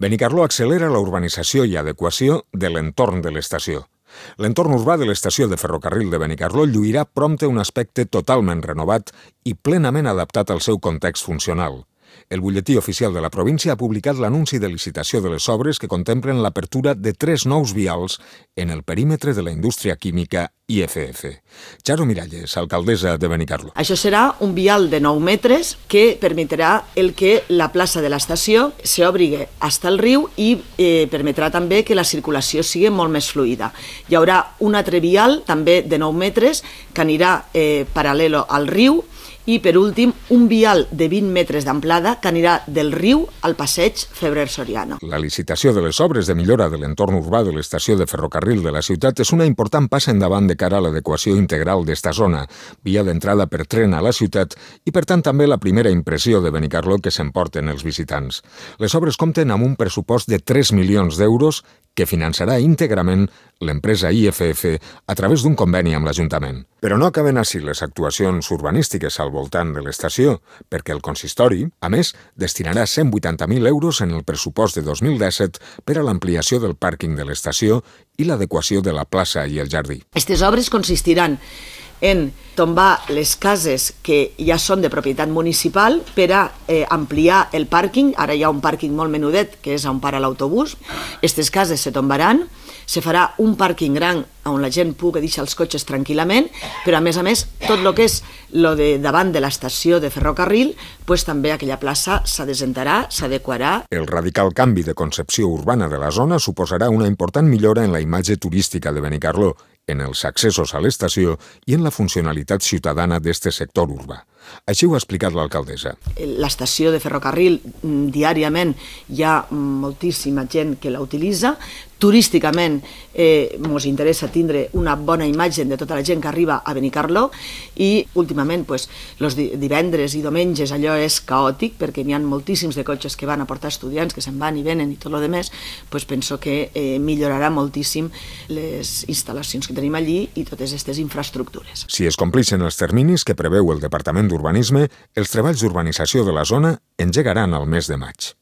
Benicarló accelera la urbanització i adequació de l'entorn de l'estació. L'entorn urbà de l'estació de ferrocarril de Benicarló lluirà prompte un aspecte totalment renovat i plenament adaptat al seu context funcional. El butlletí oficial de la província ha publicat l'anunci de licitació de les obres que contemplen l'apertura de 3 nous vials en el perímetre de la indústria química IFF. Charo Miralles, alcaldessa de Benicarló. Això serà un vial de 9 metres que permetrà que la plaça de l'estació s'obri fins al riu i permetrà també que la circulació sigui molt més fluida. Hi haurà un altre vial, també de 9 metres, que anirà paral·lel al riu, i, per últim, un vial de 20 metres d'amplada que anirà del riu al passeig Febrer Soriano. La licitació de les obres de millora de l'entorn urbà de l'estació de ferrocarril de la ciutat és una important passa endavant de cara a l'adequació integral d'esta zona, via d'entrada per tren a la ciutat i, per tant, també la primera impressió de Benicarló que s'emporten els visitants. Les obres compten amb un pressupost de 3 milions d'euros que finançarà íntegrament l'empresa IFF a través d'un conveni amb l'Ajuntament. Però no acaben així les actuacions urbanístiques al voltant de l'estació, perquè el consistori, a més, destinarà 180.000 euros en el pressupost de 2017 per a l'ampliació del pàrquing de l'estació i l'adequació de la plaça i el jardí. Aquestes obres consistiran en tombar les cases que ja són de propietat municipal per a ampliar el pàrquing. Ara hi ha un pàrquing molt menudet, que és on para l'autobús. Aquestes cases se tombaran, se farà un pàrquing gran on la gent pugui deixar els cotxes tranquil·lament, però a més, tot el que és lo de davant de l'estació de ferrocarril, també aquella plaça s'adesentarà, s'adequarà. El radical canvi de concepció urbana de la zona suposarà una important millora en la imatge turística de Benicarló, en els accessos a l'estació i en la funcionalitat ciutadana d'este sector urbà. Així ho ha explicat l'alcaldessa. L'estació de ferrocarril, diàriament hi ha moltíssima gent que la utilitza. Turísticament ens interessa tindre una bona imatge de tota la gent que arriba a Benicarló i últimament els divendres i diumenges allò és caòtic perquè n'hi ha moltíssims de cotxes que van a portar estudiants que se'n van i venen i tot el demés, penso que millorarà moltíssim les instal·lacions que tenim allí i totes aquestes infraestructures. Si es compleixen els terminis que preveu el Departament d'Urbanisme, els treballs d'urbanització de la zona engegaran al mes de maig.